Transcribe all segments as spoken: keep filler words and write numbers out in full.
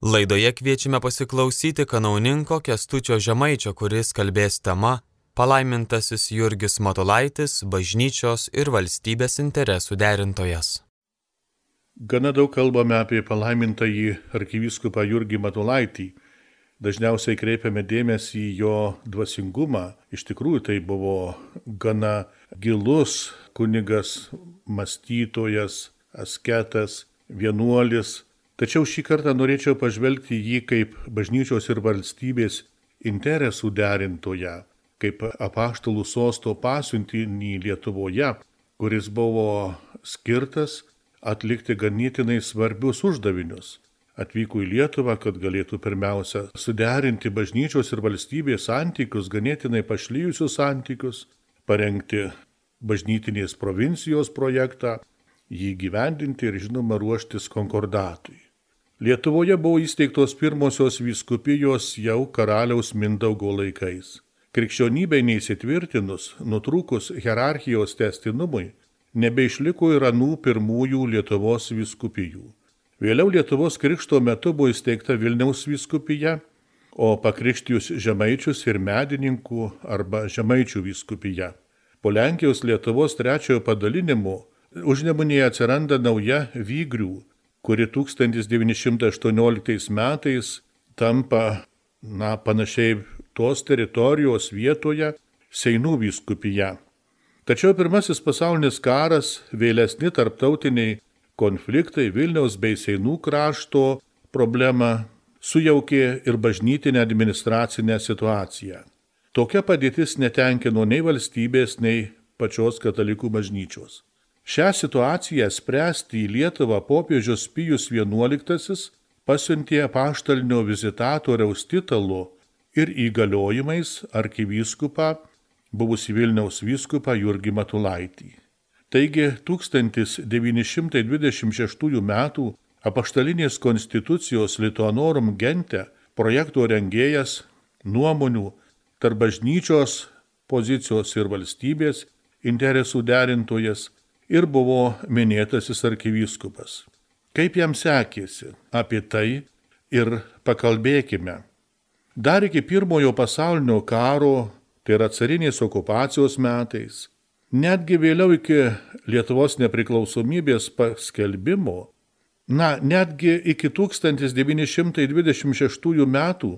Laidoje kviečiame pasiklausyti kanauninko Kęstučio Žemaičio, kuris kalbės tema Palaimintasis Jurgis Matulaitis, bažnyčios ir valstybės interesų derintojas. Gana daug kalbame apie palaimintąjį arkivyskupą Jurgį Matulaitį. Dažniausiai kreipiame dėmesį į jo dvasingumą. Iš tikrųjų tai buvo gana gilus kunigas, mąstytojas, asketas, vienuolis. Tačiau šį kartą norėčiau pažvelgti jį kaip bažnyčios ir valstybės interesų derintoją, kaip apaštalų sosto pasiuntinį Lietuvoje, kuris buvo skirtas atlikti ganėtinai svarbius uždavinius. Atvyko į Lietuvą, kad galėtų pirmiausia suderinti bažnyčios ir valstybės santykius, ganėtinai pašlijusius santykius, parengti bažnytinės provincijos projektą, jį gyvendinti ir žinoma ruoštis konkordatui. Lietuvoje buvo įsteigtos pirmosios vyskupijos jau karaliaus Mindaugo laikais. Krikščionybei neįsitvirtinus, nutrūkus hierarchijos tęstinumui, nebeišliko ir anų pirmųjų Lietuvos vyskupijų. Vėliau Lietuvos krikšto metu buvo įsteigta Vilniaus vyskupija, o pakrikštijus Žemaičius ir Medininkų arba Žemaičių vyskupija. Po Lenkijos Lietuvos trečiojo padalinimo Užnemunėje atsiranda nauja Vygrių, kuri tūkstantis devyni šimtai aštuonioliktais metais tampa, na, panašiai tos teritorijos vietoje Seinų vyskupija. Tačiau pirmasis pasaulinis karas, vėlesni tarptautiniai konfliktai Vilniaus bei Seinų krašto problemą sujaukė ir bažnytinę administracinę situaciją. Tokia padėtis netenkino nei valstybės, nei pačios katalikų bažnyčios. Šią situaciją spręsti į Lietuvą popiežius Pijus vienuoliktasis pasiuntė apaštalinio vizitatoriaus titulu ir įgaliojimais arkivyskupą, buvusį Vilniaus vyskupą Jurgį Matulaitį. Taigi tūkstantis devyni šimtai dvidešimt šeštųjų metų apaštalinės konstitucijos Lituanorum Gente projekto rengėjas, nuomonių tarp bažnyčios pozicijos ir valstybės interesų derintojas ir buvo minėtasis arkivyskupas. Kaip jam sekėsi, apie tai ir pakalbėkime. Dar iki pirmojo pasaulinio karo, tai yra carinės okupacijos metais, netgi vėliau iki Lietuvos nepriklausomybės paskelbimo, na, netgi iki tūkstantis devyni šimtai dvidešimt šeštųjų metų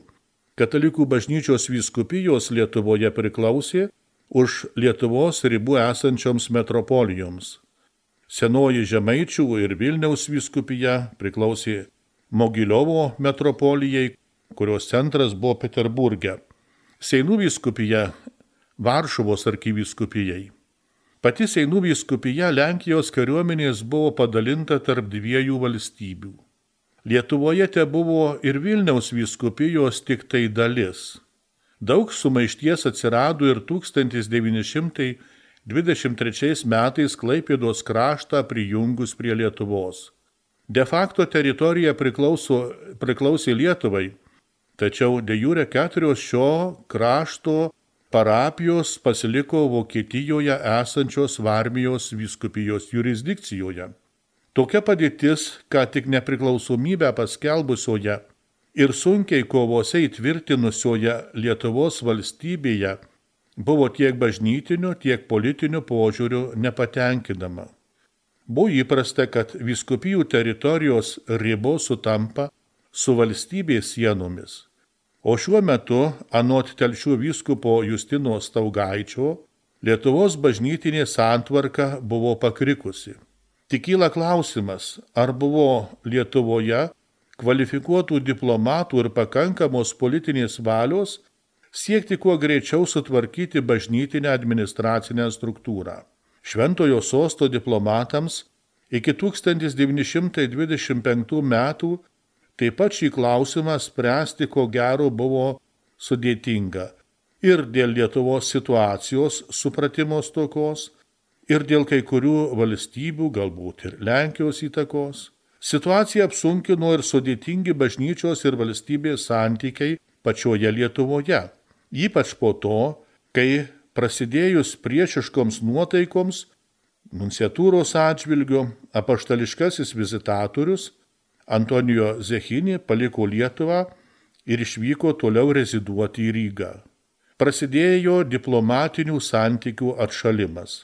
katalikų bažnyčios vyskupijos Lietuvoje priklausė už Lietuvos ribų esančioms metropolijoms. Senoji Žemaičių ir Vilniaus vyskupija priklausė Mogiliovo metropolijai, kurios centras buvo Peterburge. Seinų vyskupija Varšuvos arkivyskupijai. Pati Seinų vyskupija Lenkijos kariuomenės buvo padalinta tarp dviejų valstybių. Lietuvoje te buvo ir Vilniaus vyskupijos tik tai dalis. Daug sumaišties atsirado ir tūkstantis devyni šimtai dvidešimt trečiais metais Klaipėdos kraštą prijungus prie Lietuvos. De facto teritorija priklauso, priklausė Lietuvai, tačiau de jure keturios šio krašto parapijos pasiliko Vokietijoje esančios Varmijos vyskupijos jurisdikcijoje. Tokia padėtis, ką tik nepriklausomybę paskelbusioje ir sunkiai kovose įtvirtinusioje Lietuvos valstybėje, buvo tiek bažnytiniu, tiek politiniu požiūriu nepatenkinama. Buvo įprasta, kad vyskupijų teritorijos ribos sutampa su valstybės sienomis. O šiuo metu, anot Telšių vyskupo Justino Staugaičio, Lietuvos bažnytinė santvarka buvo pakrikusi. Tik kyla klausimas, ar buvo Lietuvoje kvalifikuotų diplomatų ir pakankamos politinės valios siekti kuo greičiau sutvarkyti bažnytinę administracinę struktūrą. Šventojo sosto diplomatams iki tūkstantis devyni šimtai dvidešimt penktų metų taip pat šį klausimą spręsti ko gero buvo sudėtinga ir dėl Lietuvos situacijos supratimo stokos, ir dėl kai kurių valstybių, galbūt ir Lenkijos įtakos. Situaciją apsunkino ir sudėtingi bažnyčios ir valstybės santykiai pačioje Lietuvoje, ypač po to, kai prasidėjus priešiškoms nuotaikoms, nunciatūros atžvilgiu apaštališkasis vizitatorius Antonijo Zechinį paliko Lietuvą ir išvyko toliau reziduoti į Rygą. Prasidėjo diplomatinių santykių atšalimas.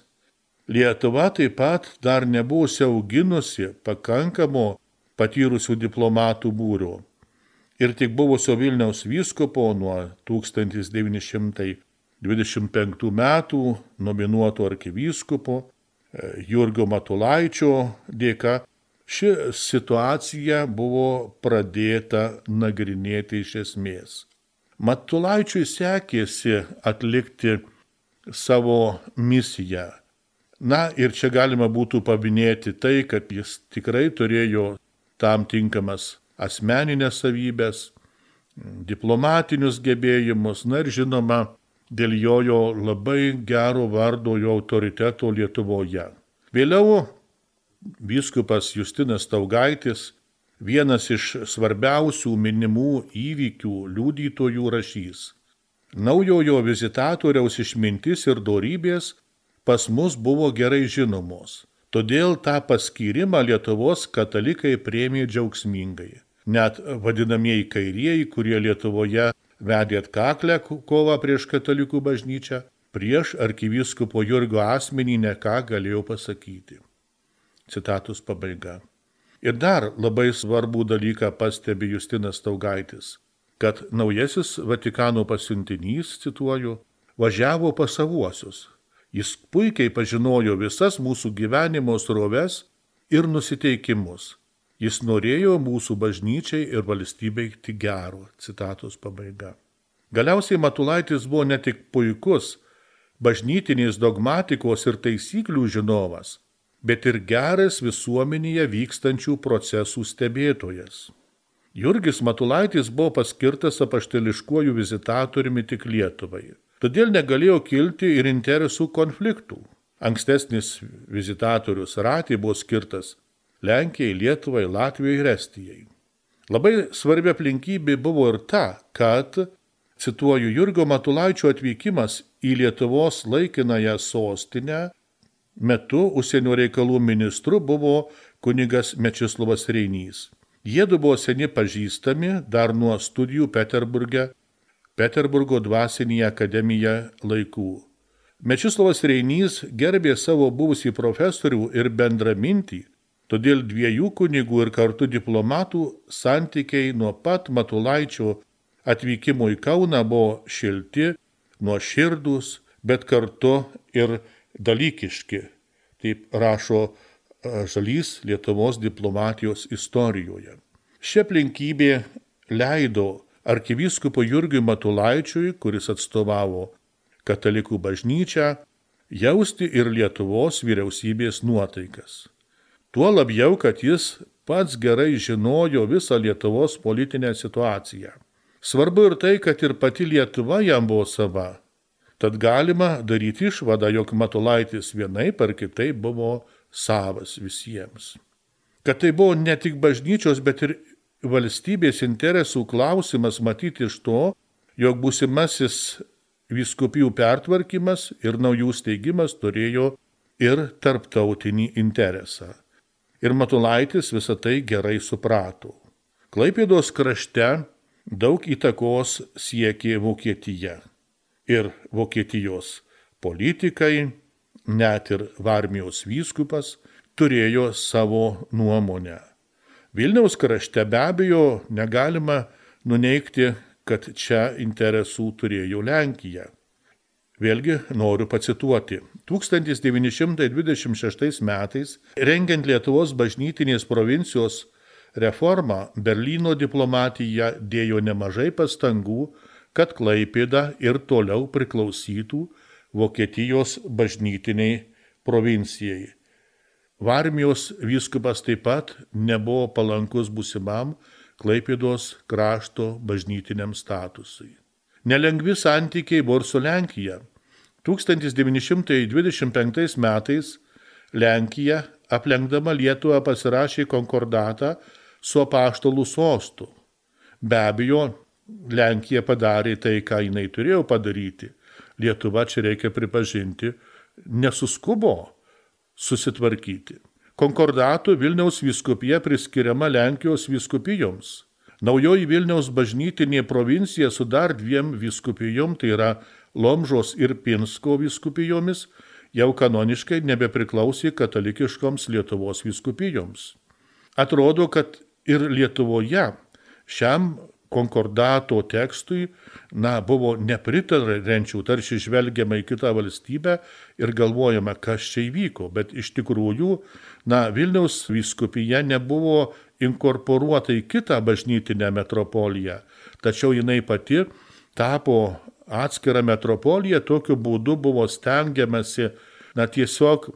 Lietuva taip pat dar nebuvo siauginusi pakankamo patyrusių diplomatų būrio. Ir tik buvusio Vilniaus vyskupo nuo tūkstantis devyni šimtai dvidešimt penktų metų nominuoto arkivyskupo Jurgio Matulaičio dėka ši situacija buvo pradėta nagrinėti iš esmės. Matulaičiui sekėsi atlikti savo misiją. Na ir čia galima būtų paminėti tai, kad jis tikrai turėjo tam tinkamas asmeninės savybės, diplomatinius gebėjimus, na ir žinoma, dėl jo jo labai gero vardo, jo autoriteto Lietuvoje. Vėliau vyskupas Justinas Staugaitis, vienas iš svarbiausių minimų įvykių liudytojų rašys. Naujojo vizitatoriaus išmintis ir dorybės pas mus buvo gerai žinomos, todėl tą paskyrimą Lietuvos katalikai priėmė džiaugsmingai. Net vadinamieji kairieji, kurie Lietuvoje vedė atkaklę kovą prieš katalikų bažnyčią, prieš arkivyskupo Jurgio asmenį ne ką galėjo pasakyti. Citatus pabaiga. Ir dar labai svarbų dalyką pastebi Justinas Staugaitis, kad naujasis Vatikano pasiuntinys, cituoju, važiavo pas savuosius. Jis puikiai pažinojo visas mūsų gyvenimo sroves ir nusiteikimus. Jis norėjo mūsų bažnyčiai ir valstybei tik gero. Citatos pabaiga. Galiausiai Matulaitis buvo ne tik puikus bažnytinės dogmatikos ir taisyklių žinovas, bet ir geras visuomenėje vykstančių procesų stebėtojas. Jurgis Matulaitis buvo paskirtas apaštališkuoju vizitatoriumi tik Lietuvai. Todėl negalėjo kilti ir interesų konfliktų. Ankstesnis vizitatorius Ratė buvo skirtas Lenkijai, Lietuvai, Latvijai ir Estijai. Labai svarbi aplinkybė buvo ir ta, kad, cituoju, Jurgio Matulaičio atvykimas į Lietuvos laikinąją sostinę metu užsienio reikalų ministru buvo kunigas Mečislovas Reinys. Jiedu buvo seni pažįstami dar nuo studijų Peterburge, Peterburgo dvasinėje akademijoje laikų. Mečislovas Reinys gerbė savo buvusį profesorių ir bendramintį, todėl dviejų kunigų ir kartu diplomatų santykiai nuo pat Matulaičio atvykimo į Kauną buvo šilti, nuoširdūs, bet kartu ir dalykiški, taip rašo Žalys Lietuvos diplomatijos istorijoje. Ši aplinkybė leido arkivyskupo Jurgiui Matulaičiui, kuris atstovavo katalikų bažnyčią, jausti ir Lietuvos vyriausybės nuotaikas. Tuo labiau, kad jis pats gerai žinojo visą Lietuvos politinę situaciją. Svarbu ir tai, kad ir pati Lietuva jam buvo sava. Tad galima daryti išvadą, jog Matulaitis vienaip ar kitaip buvo savas visiems. Kad tai buvo ne tik bažnyčios, bet ir valstybės interesų klausimas matyti iš to, jog būsimasis vyskupijų pertvarkymas ir naujų steigimas turėjo ir tarptautinį interesą. Ir Matulaitis visą tai gerai suprato. Klaipėdos krašte daug įtakos siekė Vokietija. Ir Vokietijos politikai, net ir Varmijos vyskupas, turėjo savo nuomonę. Vilniaus krašte be abejo negalima nuneigti, kad čia interesų turėjo Lenkija. Vėlgi noriu pacituoti. tūkstantis devyni šimtai dvidešimt šeštais metais, rengiant Lietuvos bažnytinės provincijos reformą, Berlyno diplomatija dėjo nemažai pastangų, kad Klaipėda ir toliau priklausytų Vokietijos bažnytiniai provincijai. Varmijos vyskupas taip pat nebuvo palankus būsimam Klaipėdos krašto bažnytiniam statusui. Nelengvi santykiai buvo ir su Lenkija. tūkstantis devyni šimtai dvidešimt penktais metais Lenkija, aplenkdama Lietuvą, pasirašė konkordatą su apaštalų sostu. Be abejo, Lenkija padarė tai, ką jinai turėjo padaryti. Lietuva, čia reikia pripažinti, nesuskubo susitvarkyti. konkordatu Vilniaus vyskupija priskiriama Lenkijos vyskupijoms. Naujoji Vilniaus bažnytinė provincija su dar dviem vyskupijom, tai yra Lomžos ir Pinsko vyskupijomis, jau kanoniškai nebepriklausė katalikiškoms Lietuvos vyskupijoms. Atrodo, kad ir Lietuvoje šiam konkordato tekstui na, buvo nepritarančių, tarsi žvelgiama į kitą valstybę ir galvojama, kas čia įvyko. Bet iš tikrųjų, na, Vilniaus vyskupija nebuvo inkorporuota į kitą bažnytinę metropoliją, tačiau jinai pati tapo atskirą metropoliją, tokiu būdu buvo stengiamasi na, tiesiog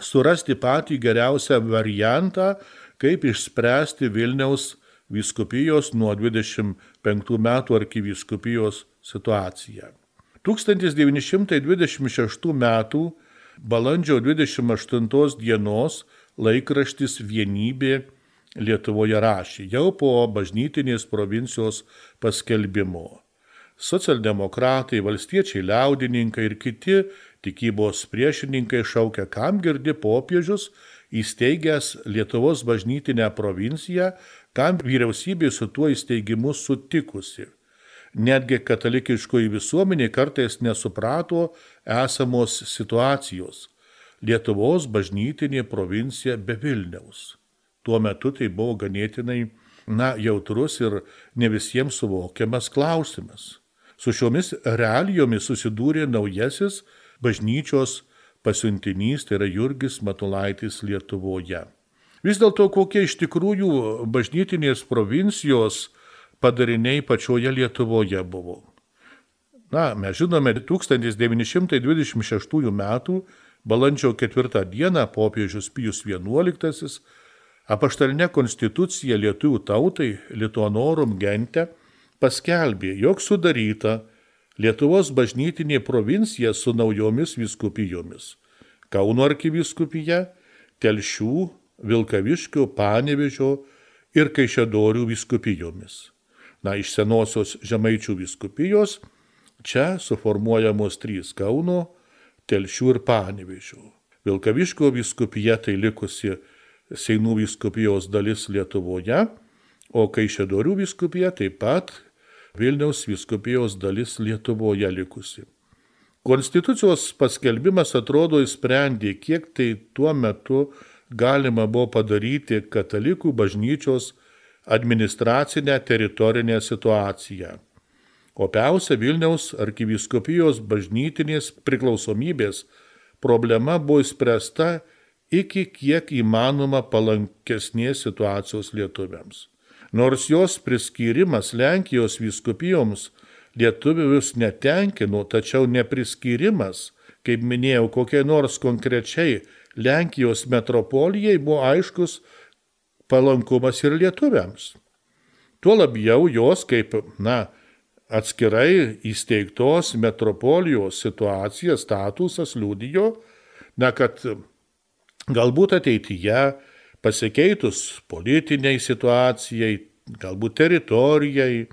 surasti patį geriausią variantą, kaip išspręsti Vilniaus vyskupijos nuo dvidešimt penktų metų arkivyskupijos situaciją. tūkstantis devyni šimtai dvidešimt šeštų metų balandžio dvidešimt aštuntos dienos laikraštis Vienybė Lietuvoje rašė, jau po bažnytinės provincijos paskelbimo. Socialdemokratai, valstiečiai liaudininkai ir kiti tikybos priešininkai šaukia, kam girdi popiežius įsteigęs Lietuvos bažnytinę provinciją, kam vyriausybė su tuo įsteigimu sutikusi. Netgi katalikiškoji visuomenė kartais nesuprato esamos situacijos. Lietuvos bažnytinė provincija be Vilniaus. Tuo metu tai buvo ganėtinai na, jautrus ir ne visiems suvokiamas klausimas. Su šiomis realijomis susidūrė naujasis bažnyčios pasiuntinys, tai yra Jurgis Matulaitis Lietuvoje. Vis dėlto kokie iš tikrųjų bažnytinės provincijos padariniai pačioje Lietuvoje buvo. Na, mes žinome, tūkstantis devyni šimtai dvidešimt šeštųjų metų balandžio ketvirtą dieną popiežius Pijus vienuoliktasis apaštalinę konstituciją lietuvių tautai Lituanorum gente paskelbė, jog sudaryta Lietuvos bažnytinė provincija su naujomis vyskupijomis. Kauno arkivyskupija, Telšių, Vilkaviškio, Panevėžio ir Kaišiadorių vyskupijomis. Na, iš senosios Žemaičių vyskupijos čia suformuojamos trys Kauno, Telšių ir Panevėžio. Vilkaviškio vyskupija tai likusi Seinų vyskupijos dalis Lietuvoje, o Kaišiadorių vyskupija taip pat Vilniaus vyskupijos dalis Lietuvoje likusi. Konstitucijos paskelbimas atrodo įsprendė, kiek tai tuo metu galima buvo padaryti katalikų bažnyčios administracinę teritorinę situaciją. Opiausia Vilniaus arkivyskupijos bažnytinės priklausomybės problema buvo išspręsta iki kiek įmanoma palankesnės situacijos lietuviams. Nors jos priskyrimas Lenkijos vyskupijoms lietuvius netenkino, tačiau nepriskyrimas, kaip minėjau, kokiai nors konkrečiai Lenkijos metropolijai buvo aiškus palankumas ir lietuviams. Tuo labiau jos kaip, na, atskirai įsteigtos metropolijos situacija, statusas liudijo, na, kad galbūt ateityje pasikeitus politiniai situacijai, galbūt teritorijai,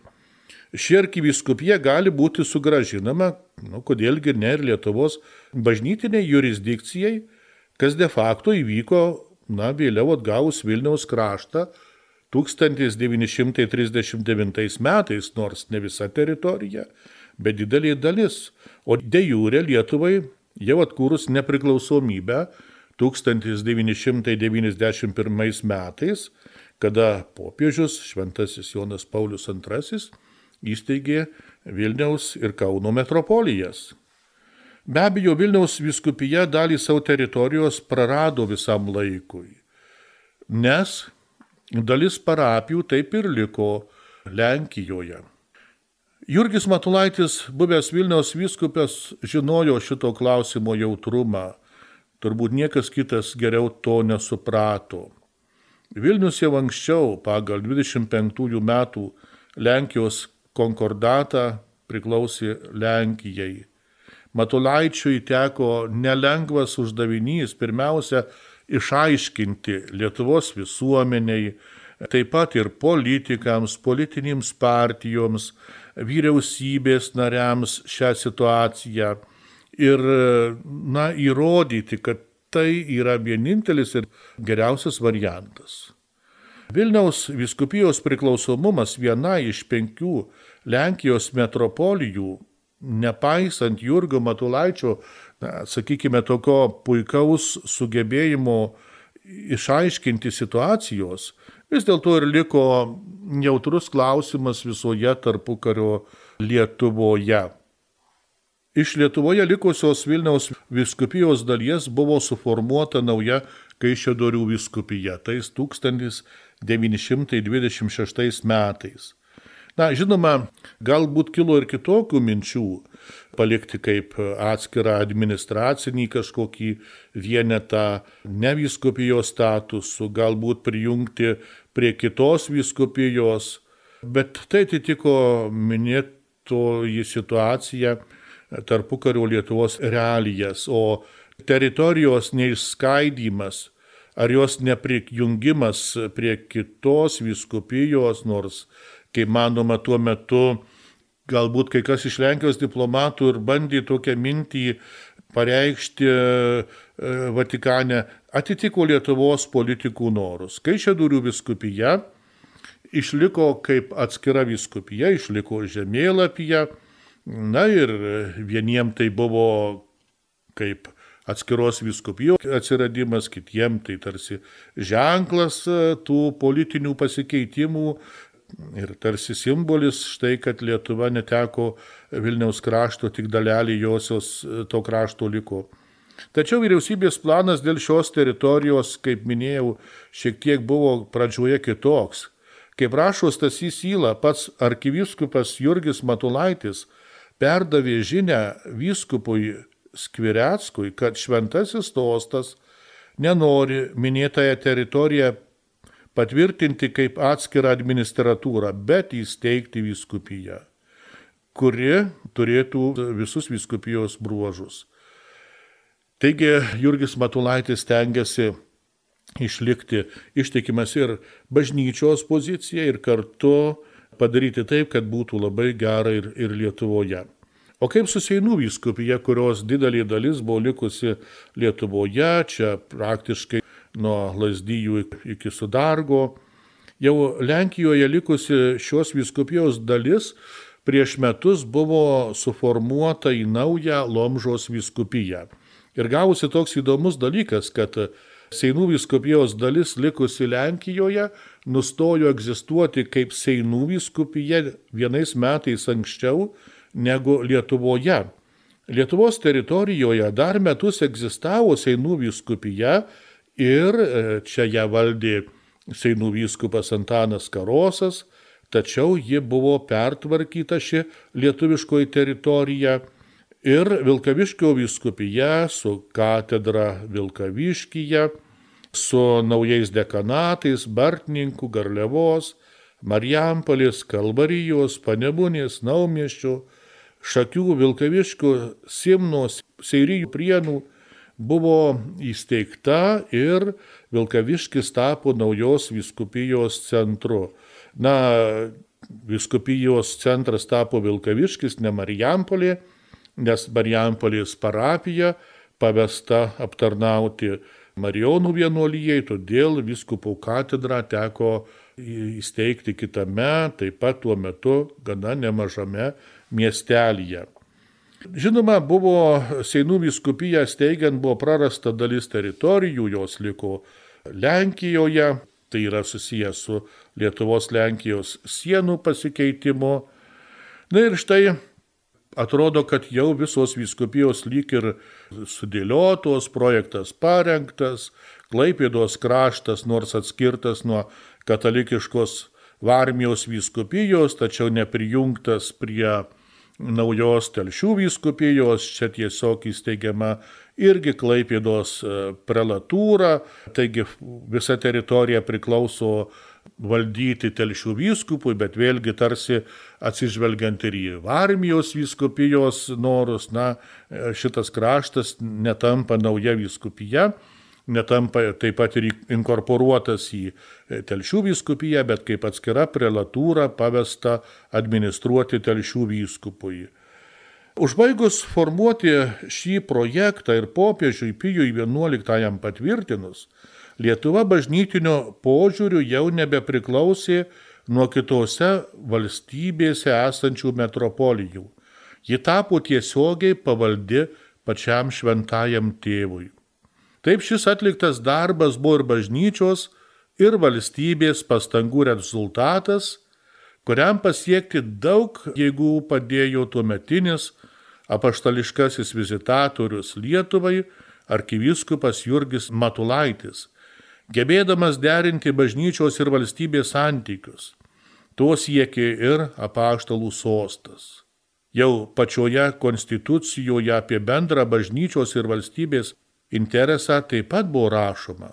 ši arkivyskupija gali būti sugrąžinama, nu, kodėlgi ne ir Lietuvos bažnytiniai jurisdikcijai, kas de facto įvyko, na, vėliau atgavus Vilniaus kraštą tūkstantis devyni šimtai trisdešimt devintais metais, nors ne visa teritorija, bet didelė dalis. O de jure Lietuvai jau atkūrus nepriklausomybę tūkstantis devyni šimtai devyniasdešimt pirmais metais, kada popiežius šventasis Jonas Paulius antrasis įsteigė Vilniaus ir Kauno metropolijas. Be abejo, Vilniaus vyskupija dalį savo teritorijos prarado visam laikui, nes dalis parapijų taip ir liko Lenkijoje. Jurgis Matulaitis, buvęs Vilniaus vyskupas, žinojo šito klausimo jautrumą. Turbūt niekas kitas geriau to nesuprato. Vilnius jau anksčiau pagal dvidešimt penktųjų metų Lenkijos konkordatą priklausė Lenkijai. Matulaičiui teko nelengvas uždavinys pirmiausia išaiškinti Lietuvos visuomeniai, taip pat ir politikams, politinėms partijoms, vyriausybės nariams šią situaciją ir, na, įrodyti, kad tai yra vienintelis ir geriausias variantas. Vilniaus vyskupijos priklausomumas viena iš penkių Lenkijos metropolijų, nepaisant Jurgio Matulaičio, na, sakykime, tokio puikaus sugebėjimo išaiškinti situacijos, vis dėlto ir liko jautrus klausimas visoje tarpukario Lietuvoje. Iš Lietuvoje likusios Vilniaus vyskupijos dalies buvo suformuota nauja Kaišiadorių vyskupija, tais tūkstantis devyni šimtai dvidešimt šeštais metais. Na, žinoma, galbūt kilo ir kitokių minčių palikti kaip atskirą administracinį kažkokį vienetą nevyskupijos statusų, galbūt prijungti prie kitos vyskupijos, bet tai atitiko minėtoji situacija tarpukario Lietuvos realijas, o teritorijos neišskaidymas ar jos neprijungimas prie kitos vyskupijos, nors, kaip manoma, tuo metu galbūt kai kas iš Lenkijos diplomatų ir bandė tokią mintį pareikšti Vatikane, atitiko Lietuvos politikų norus. Kaišiadorių vyskupija išliko kaip atskira vyskupija, išliko žemėlapyje, na ir vieniem tai buvo kaip atskiros vyskupijos atsiradimas, kitiem tai tarsi ženklas tų politinių pasikeitimų ir tarsi simbolis štai, kad Lietuva neteko Vilniaus krašto, tik dalelį josios to krašto liko. Tačiau vyriausybės planas dėl šios teritorijos, kaip minėjau, šiek tiek buvo pradžioje kitoks. Kaip rašo Stasys Yla, pats arkivyskupas Jurgis Matulaitis perdavė žinią vyskupui Skvireckui, kad šventasis sostas nenori minėtąją teritoriją patvirtinti kaip atskirą administratūrą, bet įsteigti vyskupiją, kuri turėtų visus vyskupijos bruožus. Taigi Jurgis Matulaitis stengiasi išlikti ištikimas ir bažnyčios poziciją ir kartu padaryti taip, kad būtų labai gera ir, ir Lietuvoje. O kaip su Seinų vyskupija, kurios didelė dalis buvo likusi Lietuvoje, čia praktiškai nuo Lazdijų iki Sudargo, jau Lenkijoje likusi šios vyskupijos dalis prieš metus buvo suformuota į naują Lomžos vyskupiją. Ir gavosi toks įdomus dalykas, kad Seinų vyskupijos dalis likusi Lenkijoje nustojo egzistuoti kaip Seinų vyskupija vienais metais anksčiau negu Lietuvoje. Lietuvos teritorijoje dar metus egzistavo Seinų vyskupija ir čia ją valdė Seinų vyskupas Antanas Karosas, tačiau ji buvo pertvarkyta ši lietuviškoji teritorija ir Vilkaviškio vyskupija su katedra Vilkaviškyje, su naujais dekanatais Bartninkų, Garliavos, Marijampolės, Kalvarijos, Panemunės, Naumiesčio, Šakių, Vilkaviškio, Simnos, Seirijų, Prienų buvo įsteigta ir Vilkaviškis tapo naujos vyskupijos centru. Na, vyskupijos centras tapo Vilkaviškis, ne Marijampolė, nes Marijampolės parapija pavesta aptarnauti Marijonų vienuolijai, todėl vyskupo katedrą teko įsteigti kitame, taip pat tuo metu gana nemažame miestelyje. Žinoma, buvo Seinų vyskupiją steigiant buvo prarasta dalis teritorijų, jos liko Lenkijoje, tai yra susijęs su Lietuvos-Lenkijos sienų pasikeitimu. Na ir štai atrodo, kad jau visos vyskupijos lyg ir sudėliotos, projektas parengtas, Klaipėdos kraštas nors atskirtas nuo katalikiškos Varmijos vyskupijos, tačiau neprijungtas prie naujos Telšių vyskupijos, čia tiesiog įsteigiama irgi Klaipėdos prelatūra, taigi visa teritorija priklauso valdyti Telšių vyskupui, bet vėlgi tarsi atsižvelgiant ir į Varmijos vyskupijos norus, na, šitas kraštas netampa nauja vyskupija, netampa taip pat ir inkorporuotas į Telšių vyskupiją, bet kaip atskira prelatūra pavesta administruoti Telšių vyskupui. Užbaigus formuoti šį projektą ir popiežiui Pijui vienuoliktajam patvirtinus, Lietuva bažnytinio požiūrių jau nebepriklausė nuo kitose valstybėse esančių metropolijų. Ji tapo tiesiogiai pavaldi pačiam šventajam tėvui. Taip šis atliktas darbas buvo ir bažnyčios, ir valstybės pastangų rezultatas, kuriam pasiekti daug jėgų padėjo tuometinis apaštališkasis vizitatorius Lietuvai arkivyskupas Jurgis Matulaitis, gebėdamas derinti bažnyčios ir valstybės santykius. To siekė ir apaštalų sostas. Jau pačioje konstitucijoje apie bendrą bažnyčios ir valstybės interesą taip pat buvo rašoma.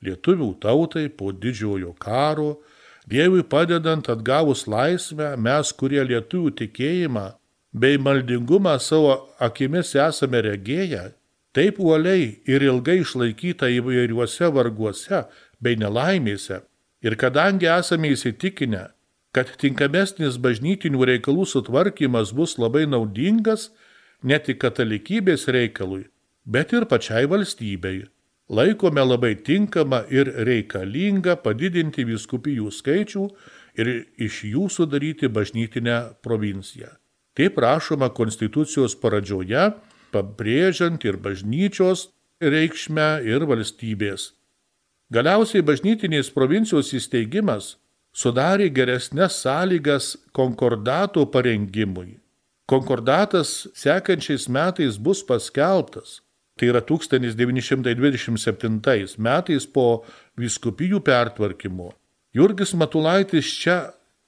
Lietuvių tautai po didžiojo karo, Dievui padedant atgavus laisvę, mes, kurie lietuvių tikėjimą bei maldingumą savo akimis esame regėję, taip uoliai ir ilgai išlaikyta įvairiuose varguose bei nelaimėse, ir kadangi esame įsitikinę, kad tinkamesnis bažnytinių reikalų sutvarkymas bus labai naudingas ne tik katalikybės reikalui, bet ir pačiai valstybei, laikome labai tinkamą ir reikalingą padidinti vyskupijų skaičių ir iš jų sudaryti bažnytinę provinciją. Taip rašoma konstitucijos pradžioje, pabrėžiant ir bažnyčios reikšmę ir valstybės. Galiausiai bažnytinės provincijos įsteigimas sudarė geresnes sąlygas konkordato parengimui. Konkordatas sekančiais metais bus paskelbtas. Tai yra tūkstantis devyni šimtai dvidešimt septintais metais po vyskupijų pertvarkymo. Jurgis Matulaitis čia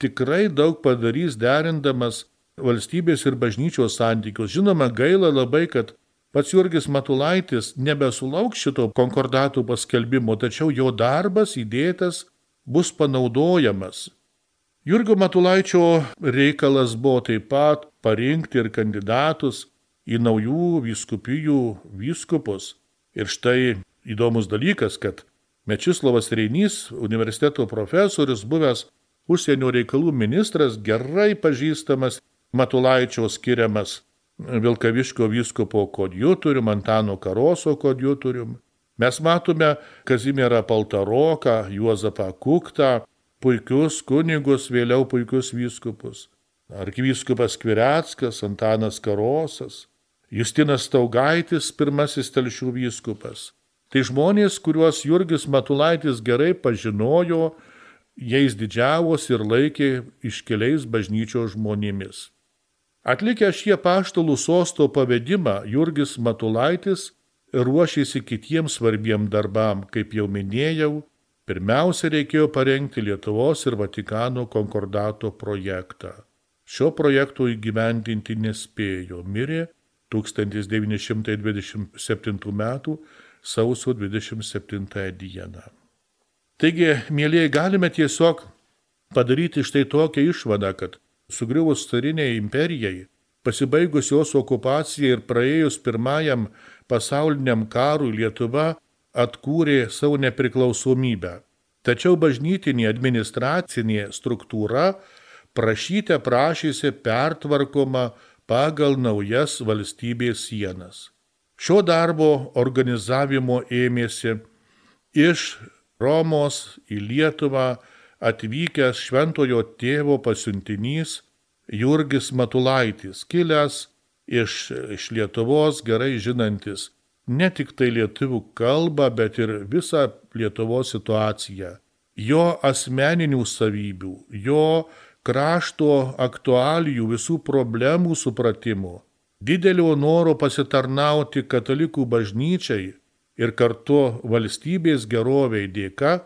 tikrai daug padarys derindamas valstybės ir bažnyčios santykius. Žinoma, gaila labai, kad pats Jurgis Matulaitis nebesulauks šito konkordatų paskelbimo, tačiau jo darbas įdėtas bus panaudojamas. Jurgio Matulaičio reikalas buvo taip pat parinkti ir kandidatus į naujų vyskupijų vyskupus. Ir štai įdomus dalykas, kad Mečislovas Reinys, universiteto profesorius, buvęs užsienio reikalų ministras, gerai pažįstamas Matulaičio skiriamas Vilkaviškio vyskupo kodjutorium, Antano Karoso kodjutorium. Mes matome Kazimierą Paltaroką, Juozapą Kuktą, puikius kunigus, vėliau puikius vyskupus. Arkivyskupas Kvireckas, Antanas Karosas, Justinas Staugaitis, pirmasis Telšių vyskupas. Tai žmonės, kuriuos Jurgis Matulaitis gerai pažinojo, jais didžiavosi ir laikė iškeliais bažnyčios žmonėmis. Atlikę šį apaštalų sosto pavedimą, Jurgis Matulaitis ruošėsi kitiems svarbiem darbam, kaip jau minėjau, pirmiausia reikėjo parengti Lietuvos ir Vatikano konkordato projektą. Šio projekto įgyvendinti nespėjo, mirė tūkstantis devyni šimtai dvidešimt septintų metų sausio dvidešimt septintąją dieną. Taigi, mielieji, galime tiesiog padaryti štai tokią išvadą, kad sugriuvus cariniai imperijai, pasibaigus jos okupacijai ir praėjus pirmajam pasauliniam karui, Lietuva atkūrė savo nepriklausomybę. Tačiau bažnytinė administracinė struktūra prašyte prašėsi pertvarkoma pagal naujas valstybės sienas. Šio darbo organizavimo ėmėsi iš Romos į Lietuvą atvykęs šventojo tėvo pasiuntinys Jurgis Matulaitis, kilęs iš, iš Lietuvos, gerai žinantis ne tik tai lietuvių kalbą, bet ir visą Lietuvos situaciją. Jo asmeninių savybių, jo krašto aktualijų, visų problemų supratimo, didelio noro pasitarnauti katalikų bažnyčiai ir kartu valstybės geroviai dėka,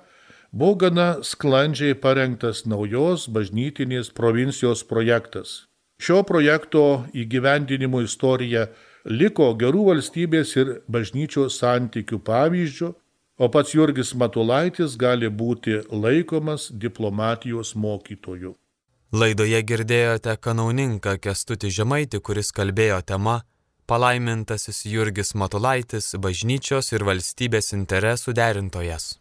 buvo gana sklandžiai parengtas naujos bažnytinės provincijos projektas. Šio projekto įgyvendinimo istorija liko gerų valstybės ir bažnyčios santykių pavyzdžių, o pats Jurgis Matulaitis gali būti laikomas diplomatijos mokytoju. Laidoje girdėjote kanauninką Kęstutį Žemaitį, kuris kalbėjo tema Palaimintasis Jurgis Matulaitis, bažnyčios ir valstybės interesų derintojas.